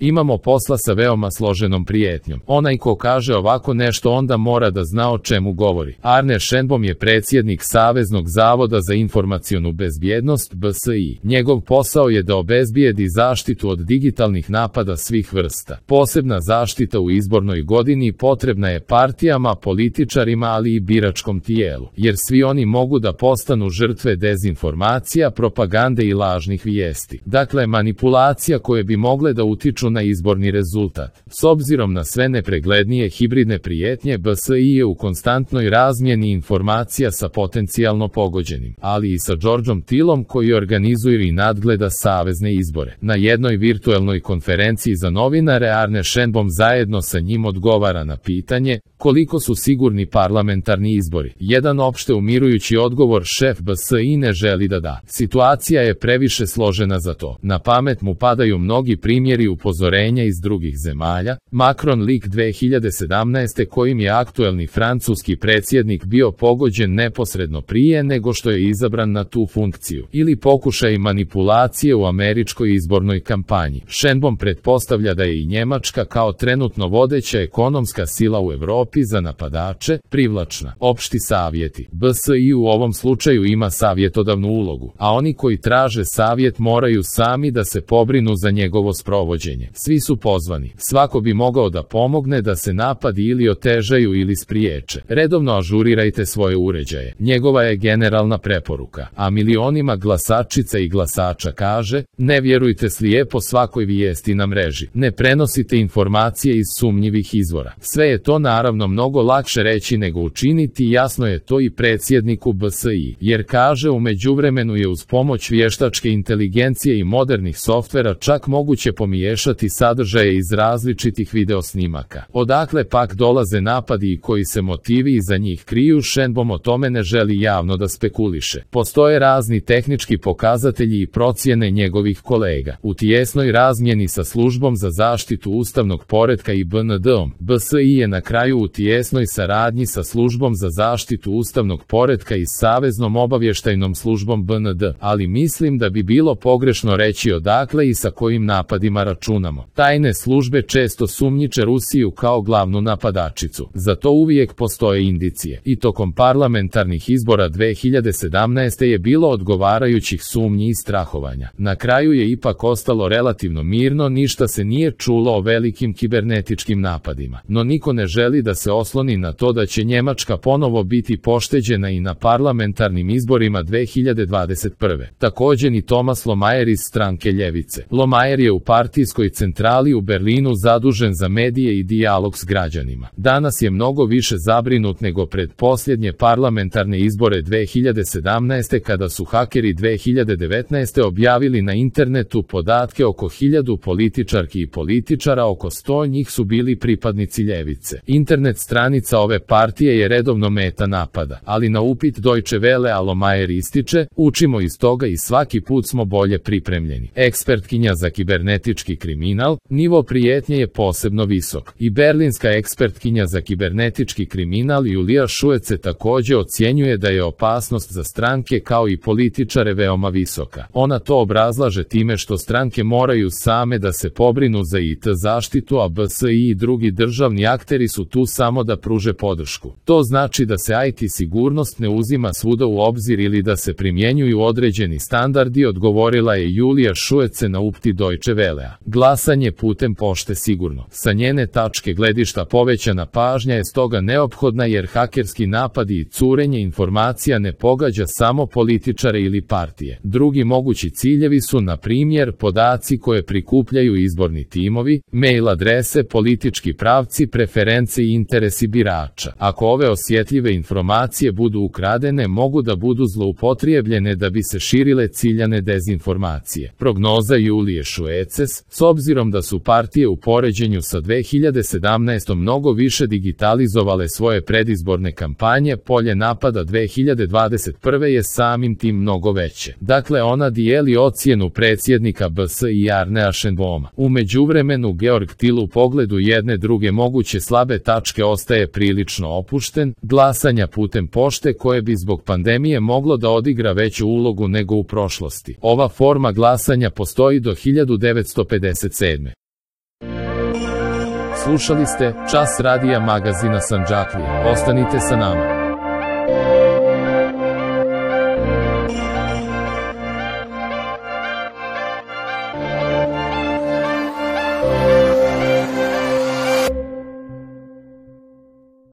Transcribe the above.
Imamo posla sa veoma složenom prijetnjom. Onaj ko kaže ovako nešto onda mora da zna o čemu govori. Arne Schenbom je predsjednik Saveznog zavoda za informacionu bezbjednost BSI. Njegov posao je da obezbijedi zaštitu od digitalnih napada svih vrsta. Posebna zaštita u izbornoj godini potrebna je partijama, političarima, ali i biračkom tijelu, jer svi oni mogu da postanu žrtve dezinformacija, propagande i lažnih vijesti. Dakle, manipulacija koje bi mogle da utiču na izborni rezultat. S obzirom na sve nepreglednije hibridne prijetnje, BSI je u konstantnoj razmjeni informacija sa potencijalno pogođenim, ali i sa Georgeom Tillom koji organizuje i nadgleda savezne izbore. Na jednoj virtuelnoj konferenciji za novinare Arne Schenbom zajedno sa njim odgovara na pitanje koliko su sigurni parlamentarni izbori. Jedan opšte umirujući odgovor šef BSI ne želi da da. Situacija je previše složena za to. Na pamet mu padaju mnogi primjeri upozorenja iz drugih zemalja. Macron lik 2017. kojim je aktuelni francuski predsjednik bio pogođen neposredno prije nego što je izabran na tu funkciju. Ili pokušaj manipulacije u američkoj izbornoj kampanji. Schenbom pretpostavlja da je i Njemačka kao trenutno vodeća ekonomska sila u Evropi za napadače privlačna. Opšti savjeti. BSI u ovom slučaju ima savjetodavnu ulogu, a oni koji traže savjet moraju sami da se pobrinu za njegovo sprovođenje. Svi su pozvani. Svako bi mogao da pomogne da se napadi ili otežaju ili spriječe. Redovno ažurirajte svoje uređaje. Njegova je generalna preporuka. A milionima glasačica i glasača kaže: ne vjerujte slijepo svakoj vijesti na mreži. Ne prenosite informacije iz sumnjivih izvora. Sve je to naravno mnogo lakše reći nego učiniti, jasno je to i predsjedniku BSI, jer kaže u međuvremenu je uz pomoć vještačke inteligencije i modernih softvera čak moguće pomiješati sadržaje iz različitih videosnimaka. Odakle pak dolaze napadi i koji se motivi iza njih kriju, Schenbom o tome ne želi javno da spekuliše. Postoje razni tehnički pokazatelji i procjene njegovih kolega. U tijesnoj razmjeni sa službom za zaštitu ustavnog poretka i BND-om, BSI je na kraju u tijesnoj saradnji sa službom za zaštitu ustavnog poretka i Saveznom obavještajnom službom BND, ali mislim da bi bilo pogrešno reći odakle i sa kojim napadima računamo. Tajne službe često sumnjiče Rusiju kao glavnu napadačicu. Za to uvijek postoje indicije. I tokom parlamentarnih izbora 2017. je bilo odgovarajućih sumnji i strahovanja. Na kraju je ipak ostalo relativno mirno, ništa se nije čulo o velikim kibernetičkim napadima. No niko ne želi da se osloni na to da će Njemačka ponovo biti pošteđena i na parlamentarnim izborima 2021. Također ni Thomas Lohmeier iz stranke Ljevice. Lohmeier je u partijskoj centrali u Berlinu zadužen za medije i dijalog s građanima. Danas je mnogo više zabrinut nego pred posljednje parlamentarne izbore 2017. kada su hakeri 2019. objavili na internetu podatke oko 1000 političarki i političara, oko 100 njih su bili pripadnici Ljevice. Internet stranica ove partije je redovno meta napada, ali na upit Deutsche Welle a Lohmeier ističe: učimo iz toga i svaki put smo bolje pripremljeni. Ekspertkinja za kibernetički kriminal, nivo prijetnje je posebno visok. I berlinska ekspertkinja za kibernetički kriminal Julija Šuece također ocjenjuje da je opasnost za stranke kao i političare veoma visoka. Ona to obrazlaže time što stranke moraju same da se pobrinu za IT zaštitu, a BSI i drugi državni akteri su tu samo da pruže podršku. To znači da se IT sigurnost ne uzima svuda u obzir ili da se primjenjuju određeni standardi, odgovorila je Julija Šuece na upit Deutsche Wellea. Glasanje putem pošte sigurno. Sa njene tačke gledišta povećana pažnja je stoga neophodna jer hakerski napadi i curenje informacija ne pogađa samo političare ili partije. Drugi mogući ciljevi su na primjer podaci koje prikupljaju izborni timovi, mail adrese, politički pravci, preference i interesi birača. Ako ove osjetljive informacije budu ukradene, mogu da budu zloupotrijebljene da bi se širile ciljane dezinformacije. Prognoza Julije Šueces: s obzirom da su partije u poređenju sa 2017. mnogo više digitalizovale svoje predizborne kampanje, polje napada 2021. je samim tim mnogo veće. Dakle, ona dijeli ocjenu predsjednika BSI Arnea Schenboma. U međuvremenu Georg Till u pogledu jedne druge moguće slabe tačke ostaje prilično opušten, glasanja putem pošte koje bi zbog pandemije moglo da odigra veću ulogu nego u prošlosti. Ova forma glasanja postoji do 1957. Slušali ste Čas radija magazina Sandžaklije. Ostanite sa nama.